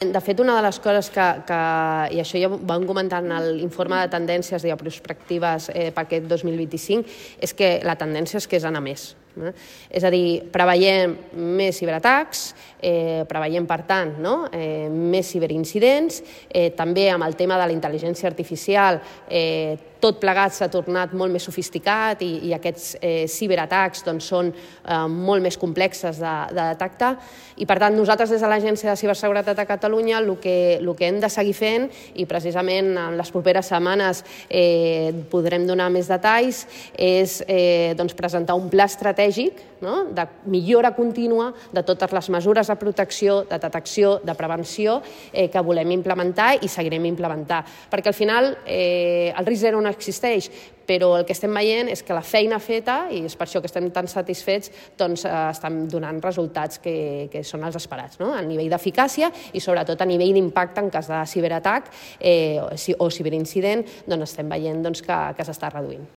De fet, una de les coses i això ja ho vam comentar en l'informe de tendències i prospectives per aquest 2025, és que la tendència és que és anar més. És a dir, preveiem més ciberatacs, preveiem, per tant, més ciberincidents, també amb el tema de la intel·ligència artificial, tot plegat s'ha tornat molt més sofisticat i aquests ciberatacs són molt més complexes de detectar i, per tant, nosaltres des de l'Agència de Ciberseguretat de Catalunya el que hem de seguir fent, i precisament en les properes setmanes podrem donar més detalls, és presentar un pla estratègic de millora contínua de totes les mesures de protecció, de detecció, de prevenció que volem implementar i seguirem implementant. Perquè al final el risc zero no existeix, però el que estem veient és que la feina feta, i és per això que estem tan satisfets, estan donant resultats que són els esperats, a nivell d'eficàcia i sobretot a nivell d'impacte en cas de ciberatac o ciberincident, estem veient que s'està reduint.